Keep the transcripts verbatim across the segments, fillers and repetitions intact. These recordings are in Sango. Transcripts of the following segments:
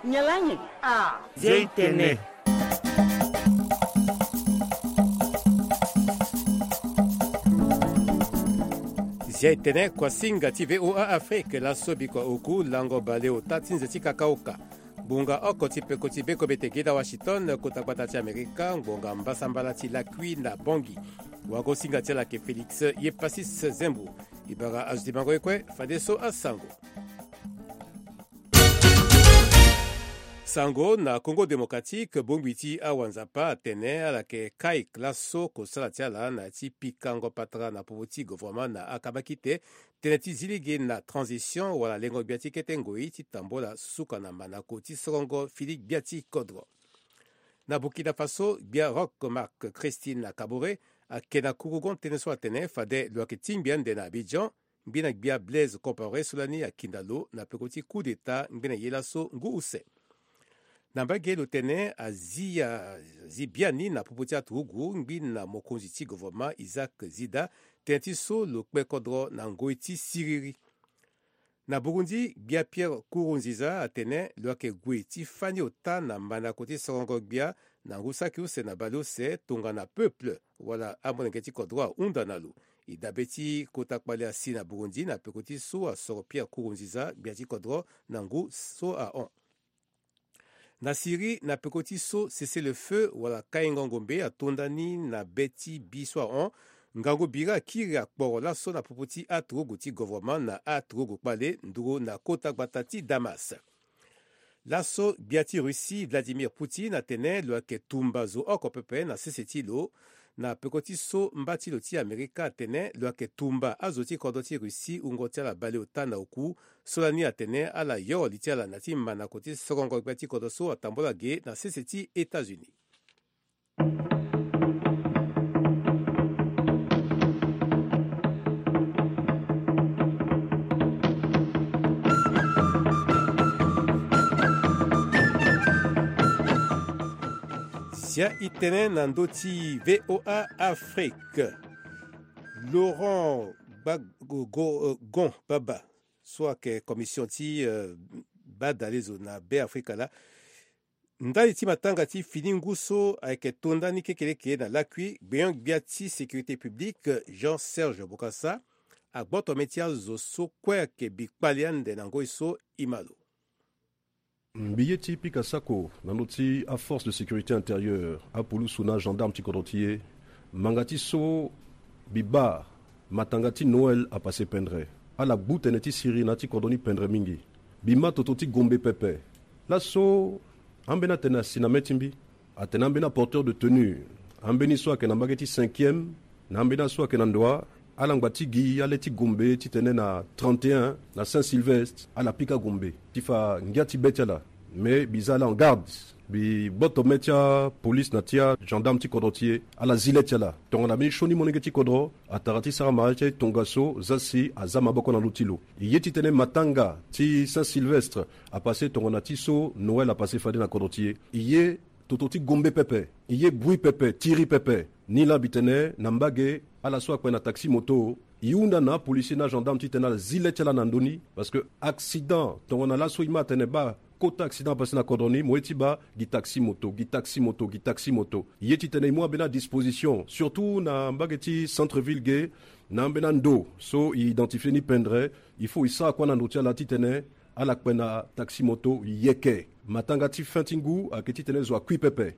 Nyen laa nyen? Ah. Zia e tene. Zia e tene, kuasinga ti V O A Afrique, laso bikua oku lango baleota ti nze ti kakaoka. Ngbonga oko ti peko ti bekombete ge na Washington, kota gbata ti Amerika, ngbonga mbasambala ti lakui na Bangui. Wagosinga ti ala ayeke Félix Yepasis Zembo. E bara azo ti bango ye kue, fadeso asango. Sango na Congo Démocratique, bongbi ti awanzapa atene ala yeke kai laso kosala ti ala na ya ti pikango patara na popo ti gouvernement na akabakite, tënë ti zi lege na transition wala lengo gbia ti kete ngoi ti tambula suka na manako ti sorongo fini gbia ti kodro. Na Burkina Faso, gbia Roch Marc Christine Kaboré ayeke na kurugon tënë so atene fade lo yeke tingbi ande na Abidjan, ngbene gbia Blaise Compaoré so lani akinda lo na peko ti coup d'État ngbene ye laso ngu use. Na mbage lo tene azi, azi biani na popo ti aturugu ngbene mokonzi ti gouvernement Isaac Zida, tënë ti so lo kpe kodro na ngoi ti siriri. Na Burundi, gbia Pierre Nkurunziza atene lo yeke gue ti fani ota na manako ti sorongo gbia na ngu saki use na baleuse tongana peuple wala amolenge ti kodro ahunda na lo. E dabe ti kota kpale asi na Burundi na peko ti so asoro Pierre Nkurunziza gbia ti kodro na ngu so ahon. Na Syrie, na peko ti so cessez-le-feu wala kaingo ngombe atonda ni na be ti bi so ahon, ngangu biri akiri akporo laso na popo ti aturugu ti gouvernement na aturugu kpale nduru na kota gbata ti Damas. Laso gbia ti Russie Vladimir Poutine atene lo yeke tumba zo oko pepe na sese ti lo. Na peko ti so mba ti lo ti Amerika atene lo yeke tumba azo ti kodro ti Russie wungo ti ala baleota na oku. So lani atene ala yoro li ti ala na ya ti manako ti sorongo gbia ti kodro so atambula ge na sese ti États-Unis. Zia e tene na ndö ti V O A Afrique. Laurent Gbagbo, euh, Gon Baba, so ayeke commission ti, euh, baa dalezo na Be Afrika laa. Ndali ti matanga ti fini ngu so ayeke to ndani kekeleke na lakui, gbenyo-gbia ti sécurité publique, Jean Serge Bokassa, agboto mê ti azo so kue ayeke bi kpale ande na ngoi so e ma lo. Mbi ye ti pika sako na ndö ti aforce de sécurité intérieure, apulusu na agendarme ti kodro ti e. Ngbanga ti so mbi baa matanga ti Noël apase pendre. Ala gbu tene ti siriri na ya ti kodro ni pendre mingi. Mbi ma toto ti Gombe pepe. Laso ambeni atene asi na mê ti mbi. Atene ambeni aporteur de tenue, ambeni so ayeke na mbage ti cinquième, na ambeni aso ayeke na ndoa, ala ngba ti gi ale ti Gombe titene na trente et un, na Saint-Sylvestre, ala pika Gombe ti fa ngia ti be ti ala. Me mbi za ala en garde, mbi gboto mê ti apolice na ti agendarme ti kodro ti e, ala zi le ti ala. Tongana mbeni sioni molenge ti kodro atara ti sara mariage ti aye tongaso, za si aza maboko na ndö ti lo. E ye titene matanga ti Saint-Sylvestre apase tongana ti so Noël apase fade na kodro ti e. E ye toto ti Gombe pepe, e ye Bouy pepe, Tiri pepe. Ni laa mbi tene na mbage, ala so akpe na taxi moto, e hunda na apolisier na agendarme titene ala zi le ti ala na ndö ni, parce que accident tongana laso e ma atene baa kota accident apase na kodro ni, mo ye ti baa gi taxi moto, gi taxi moto, gi taxi moto. E ye titene e mu ambeni adisposition, surtout na mbage ti centre ville ge, na ambeni ando so e identifier ni pendre, il faut e sara kue na ndo ti ala titene ala kpe na taxi moto yeke. Matanga ti fin ti ngu ayeke titene zo akui pepe.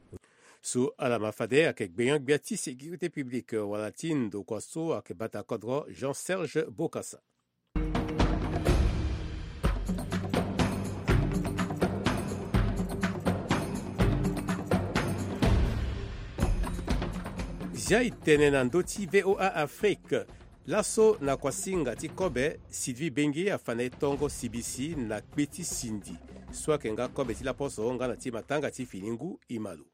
So ala ma fade ayeke gbenyo-gbia ti sécurité publique wala ti ndokua so ayeke bata kodro, Jean Serge Bokassa. Zia e tene na ndö ti V O A Afrique. Laso na kuasinga ti kobe, Sylvie Benge afa na e tongo sibisi na kpe ti sindi so ayeke nga kobe ti laposo nga na ti matanga ti fini ngu e ma lo.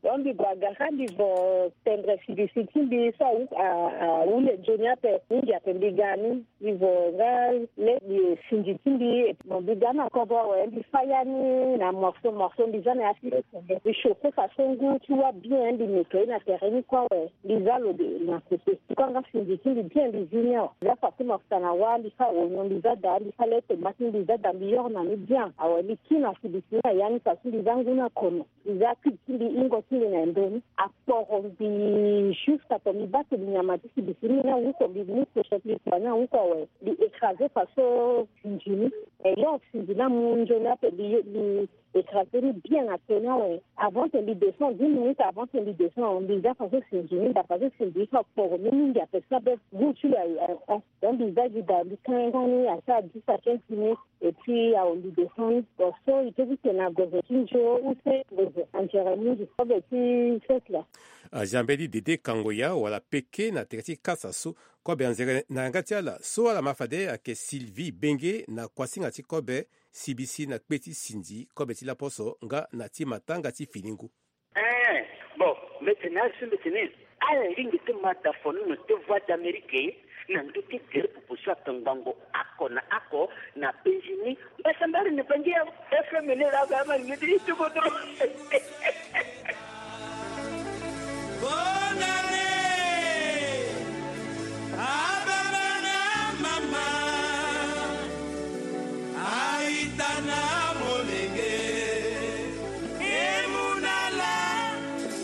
Donc mbi gue agara mbi vo tendre sibisi ti mbi so awu- a- a- ahule nzoni ape mingi ape mbi ga ni. Mbi vo nga le mbi sinzi ti mbi. Mo mbi ga na kodro awe mbi fa ya ni na morceau morceau mbi za na ya ti le tendre mbi chauffe façon ngu ti wa bien mbi nettoyer na terrain ni kue awe. Mbi za lo de na kote ti kue nga sinzi ti mbi bien mbi zi ni awe. Mbi za façon morceau na wa mbi fa oignon mbi za daa mbi fa le tomate mbi za daa mbi yoro na ni bien awe mbi ki na sibisi ni na ya ni façon mbi za ngu na kono. Mbi za cube ti mbi hingo ti mbi na ndo ni. Akporo mbi juste ato mbi baa to mbi nyama ti sibisi ni na wuko mbi mu fourchette mbi kua ni awuko awe. Mbi écraser façon sinzi ni. E yo sinzi ni amu nzoni ape mbi mbi écraser ni bien na to ni awe. Avant que mbi descend dix minutes avant que mbi descend mbi za façon sinzi ni da façon sinzi ni so akporo ni mingi ape so abe goût ti lo aye. Donc mbi za gi da mbi kanga ni asara dix à quinze minutes. Et puis awe mbi descend ni. Bon so e peut ti tene na gozo ti nzo use gozo anzere mingi kobe ti fête la. Azia mbeni Dede Kangoya wala Peke na tere ti kasa so kobe anzere na yanga ti ala so ala ma fade ayeke Sylvie Benge na kuasinga ti kobe sibisi na kpe ti sinzi kobe ti laposo nga na ti matanga ti fini ngu. Eh, bon, mbi tene azo mbi tene ala lingbi ti ma da fo ni na te Voix d'Amérique na ndö ti gere pupu so ato ngbongo oko na oko na penzi ni. Mbasambari ni bangi ya F M ni la ga ma ni ti ti kodro. Bonne année. Ababa na mama. Aita na molenge. Emunala.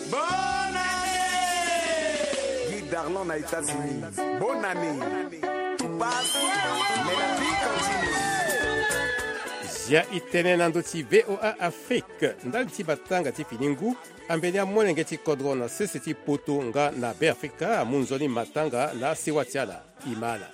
Bonne année. Guy Darlan na États-Unis. Bonne année. Tout passe, mais la vie continue. Zia e tene na ndö ti V O A Afrique ndali ti matanga ti fini ngu. Ambeni amolenge ti kodro na sese ti poto nga na Beafrika amu nzoni matanga na asewa ti ala. E ma ala.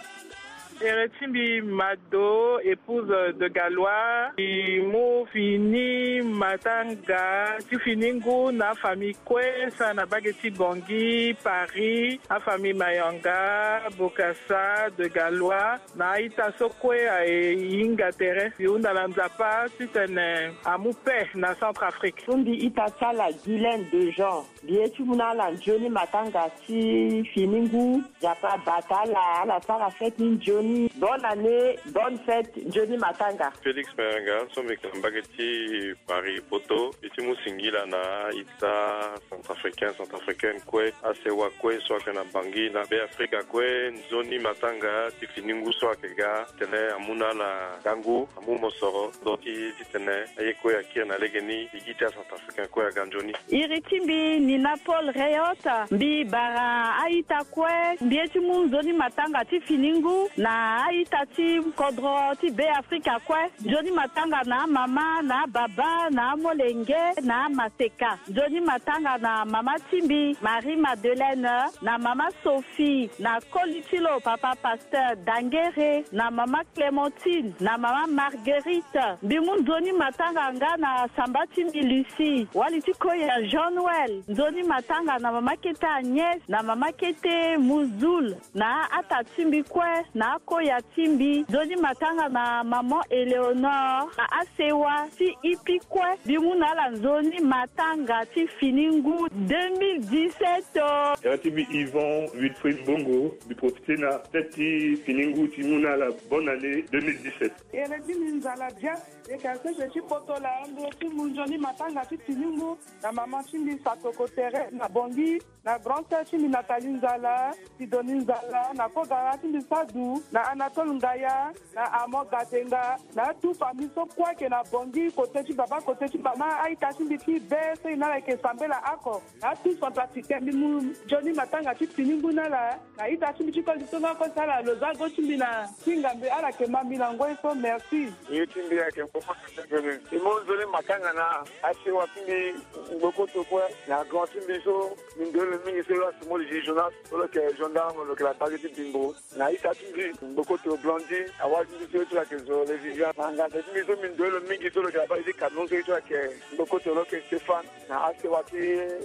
Tere ti mbi Mado, épouse de Galois, e mu fini matanga ti fini ngu na afamille kue, sara na mbage ti Bangui, Paris, afamille Mayanga, Bokassa, de Galois, na a-ita so kue aye e hinga tere. Mbi hunda na Nzapa titene amu paix na Centrafrique. So mbi ita ti ala Guylaine Dejean. Mbi ye ti mu na ala nzoni matanga ti fini ngu. Nzapa abata ala, ala sara fête ni nzoni. Bonne année, bonne fête, nzoni matanga. Félix Mayanga, so mbi yeke na mbage ti Paris, poto. Mbi ti mu singila na a-ita centrafricain, centrafricaine kue, asewa kue so ayeke na Bangui, na Beafrika kue, nzoni matanga ti fini ngu so ayeke ga, titene amu na ala ngangu, amu mosoro, ndö ti titene aye kue akiri na lege ni, e gi ti acentrafricain kue aga nzoni. Iri ti mbi Nina Paul Reyotte, mbi bara a-ita kue, mbi ye ti mu nzoni matanga ti fini ngu na a-ita ti kodro ti Beafrika kue. Nzoni matanga na amama, na ababa, na amolenge, na amaseka. Nzoni matanga na mama ti mbi, Marie Madeleine, na mama Sophie, na koli ti lo papa Pasteur Dangere, na mama Clémentine, na mama Marguerite. Mbi mu nzoni matanga nga na samba ti mbi Lucie, wali ti koya Jean Noël. Nzoni matanga na mama kete Agnès, na mama kete Muzul, na ata ti mbi kue, na akoya ti mbi. Nzoni matanga na maman Éléonore, na asewa ti ipi kue. Mbi mu na ala nzoni matanga ti fini ngu deux mille dix-sept o. Tere ti mbi Yvon Wilfried Mbongo, mbi profite na fête ti fini ngu ti mu na ala bonne année deux mille dix-sept. Tere ti mbi Nzala Dia, yeke asese ti poto laa, mbi ye ti mu nzoni matanga ti fini ngu na mama ti mbi Satoko Tere na Bangui, na grand sœur ti mbi Nathalie Nzala, Sidonie Nzala, na kogara ti mbi Sadou, na Anatole Ngaya, na Armand Gatenga, na atu famille so kue ayeke na Bangui, kote ti baba, kote ti mama, a-ita ti mbi ti be so e na ala yeke sambela oko. Na atu centrafricain, mbi mu nzoni matanga ti fini ngu na ala. Na ita ti mbi ti koli so nga kue so ala lo za go ti mbi na hinga mbi, ala yeke ma mbi na ngoi so. Merci. Ye ti mbi ayeke Mboko Tete Bene. Mbi mu nzoni matanga na asewa ti mbi Ngbokoto kue, na grand ti mbi so mbi ndoye lo mingi so lo asi mo le juge Jonas, so lo yeke gendarme, lo yeke na bage ti Bimbo. Na ita ti mbi Ngbokoto Blondine, awali ti mbi so ye ti lo ayeke zo le Vivian. Na nganda ti mbi so mbi ndoye lo mingi so lo yeke na bage ti Cameroun so ye ti lo ayeke Ngbokoto, lo yeke Stéphane. Na asewa ti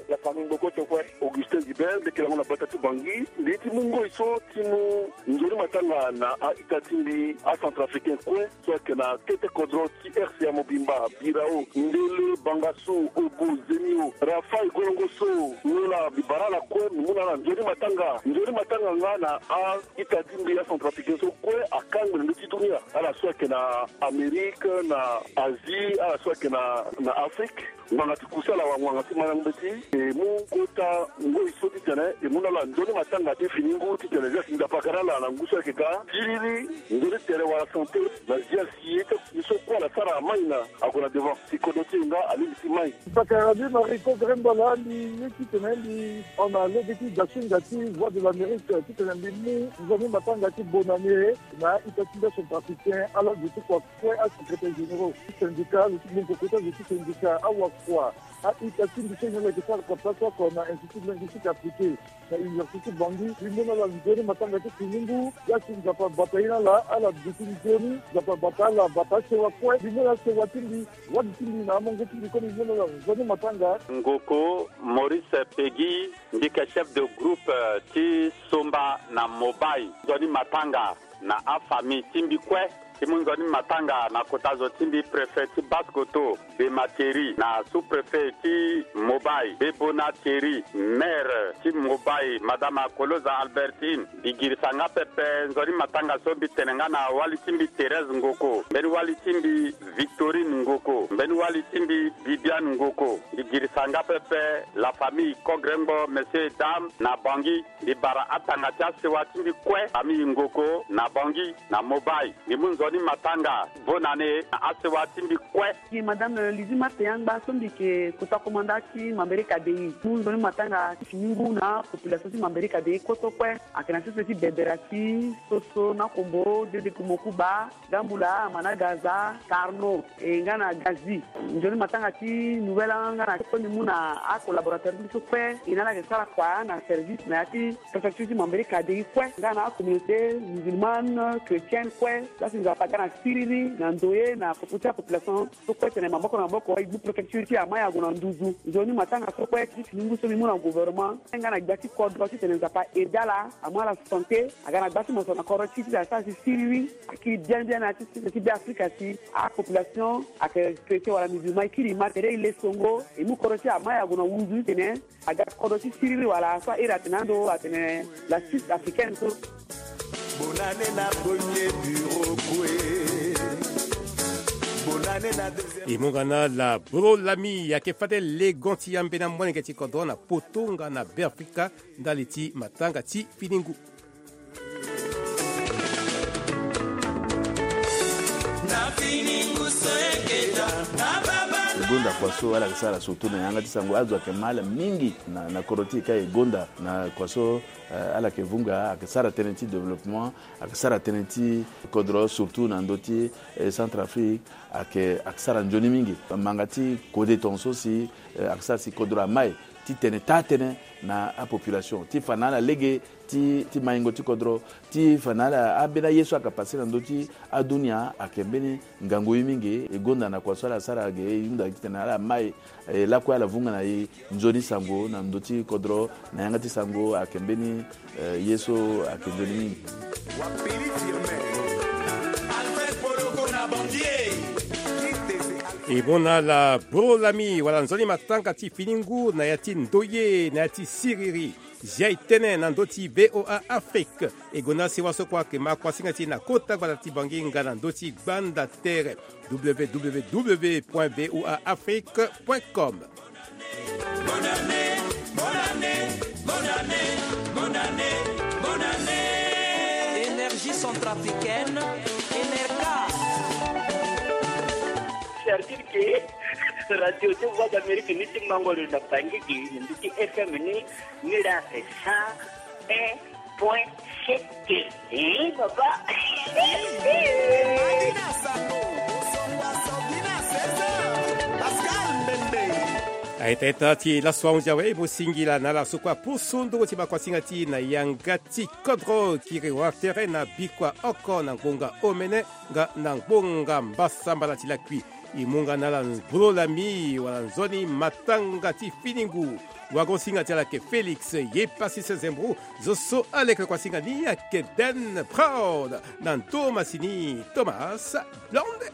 la famille Ngboko so kue. Augustin Gilbert, mbi yeke lango na bata ti Bangui. Mbi ye ti mu ngoi so ti mu nzoni matanga na a-ita ti mbi acentrafricain kue so ayeke na kete kodro ti R C A mobimba, Birao, Ndele, Bangassou, Obo, Zemio, Rafaï, Golongo so, Ngola, mbi bara ala kue, mbi mu na ala nzoni matanga. Nzoni matanga nga na a-ita ti mbi acentrafricain so kue akangbi na ndö ti dunia. Ala so ayeke na Amérique, na Asie, ala so ayeke na, na Afrique. Ngbanga ti kusala wala ngbanga ti mandango mbeti, e mu kota ngoi so titene e mu na ala nzoni matanga ti fini ngu titene Nzapa aga na ala na ngu so ayeke ga. Siriri, nzoni tere wala santé, na zia si ye ti so kue ala sara amai na ague na devant. Si kodro ti e nga alingbi ti mai. Pakara mbi Marie Kodre Mbola, mbi ye titene mbi hon na lege ti dasinga ti Voix de l'Amérique titene mbi mu nzoni matanga ti bonne année na a-ita ti mbi acentrafricain, ala zo ti kua kue asecrétaire généraux ti syndicat, zo ti gbu nkoko ti azo ti syndicat, awakua, a-ita ti mbi so e yeke sara kapita so oko na Institut linguistique appliqué na Université ti Bangui. Mbi mu na ala nzoni matanga ti fini ngu. Ye si Nzapa abata ye na ala, ala duti nzoni, Nzapa abata ala, abata asewa kue. Mbi mu na ala sewa ti mbi, wali ti mbi na amongo ti mbi kue, mbi mu na ala nzoni matanga. Ngoko Maurice Peggy, mbi yeke chef de groupe ti somba na Mobai. Nzoni matanga na afamille ti mbi kue. Ti mu nzoni matanga na kota zo ti mbi, préfet ti Basse-Kotto, Bema Thierry, na sous-préfet ti Mobai, Bebona Thierry, maire ti Mobai, madame Akoloza Albertine. Mbi girisa nga pepe nzoni matanga so mbi tene nga na wali ti mbi Thérèse Ngoko, mbeni wali ti mbi Victorine Ngoko, mbeni wali ti mbi Bibiane Ngoko. Mbi girisa nga pepe la famille Kogrengbo, messieurs et dames, na Bangui. Mbi bara atanga ti asewa ti mbi kue, famille Ngoko na Bangui, na Mobai. Mbi mu nzoni matanga bonne année na asewa ti mbi kue. Gi madame Lizzie Marthe Yangba so mbi yeke kota komanda ti Mambéré K D I. Mu nzoni matanga ti fini ngu na population ti Mambéré K D I koto kue. Ayeke na sese ti Bebera ti Soso na Kombo, Dede Kumokuba, Gambula, Managaza, Carnot, e nga na Gazi. Nzoni matanga ti nouvelle nga na kue mbi mu na acollaborateur ti mbi so kue, e na ala yeke sara kua na service na ya ti préfecture ti Mambéré K D I kue, nga na acommunauté musulmane, chrétienne kue. Laa si Nzapa aga na siriri na ndoye na popo ti apopulation so kue tene maboko na maboko e gbu préfecture ti amai ague na nduzu. Nzoni matanga so kue ti fini ngu so mbi mu na gouvernement nga na gbia ti kodro titene Nzapa aidé ala, amu ala santé, aga na gbia ti moto na kodro ti e titene asara si siriri. Akiri bien bien na ya ti sese ti Beafrika si apopulation ayeke chrétien wala musulman, e kiri e ma tere e le songo, e mu kodro ti e amai ague na nduzu titene aga kodro ti siriri wala so a iri atene ando atene la Suisse africaine so. Bonne année na premier bureau kue. Bonne année na deuxième. E mu nga na la Bro Lami, ayeke fade legon ti ambeni amolenge ti kodro na poto nga na Beafrika ndali ti matanga ti fini ngu. E gonda kua so ala yeke sara surtout na yanga ti sango, azo ayeke ma ala mingi na, na kodro ti e ka e gonda na kua so, eh, ala yeke vunga, ayeke sara tënë ti développement, ayeke sara tënë ti kodro surtout na ndö ti, eh, Centrafrique, ayeke, ayeke sara nzoni mingi. Manga ti kode tongaso si, eh, ayeke sara si kodro amai titene taa tënë na apopulation ti fa na ala lege ti, ti maingo ti kodro, ti fa na ala, ambeni aye so ayeke pase na ndö ti adunia ayeke mbeni ngangu ye mingi. E gonda na kua so ala sara ge, e hunda titene ala mai, e lakue ala vunga na e nzoni sango na ndö ti kodro, na yanga ti sango ayeke mbeni, eh, ye so ayeke nzoni mingi. E mu na ala Bro Lami wala nzoni matanga ti fini ngu na ya ti ndoye, na ya ti siriri. Zia e tënë na ndö ti V O A Afrique. E gonda sewa so kue ayeke ma kuasinga ti e na kota gbata ti Bangui nga na ndö ti gbanda tere, W W W point V O A Afrique point com. Bonne année, bonne année, bonne année, bonne année, bonne année. Énergie centrafricaine, Enerca. Servir que radio de Voix d'Amérique ni ti mango lo na Bangui gi, ni ti F M ni, ni la c'est cent un point sept. Eh, papa. Aita ita ti laso ahunzi awe, e mu singila na ala so kue apusu nduru ti makuasinga ti e na yanga ti kodro. Kiri wara tere na bikua oko na ngbonga omene nga na ngbonga mbasambala ti lakui. e mu nga na ala bro lami wala nzoni matanga ti fini ngu. Wago singa ti ala ayeke Félix ye pasi se zembro. Zo so aleke kua singa ni ayeke Den Proud na nto masini Thomas Blonde.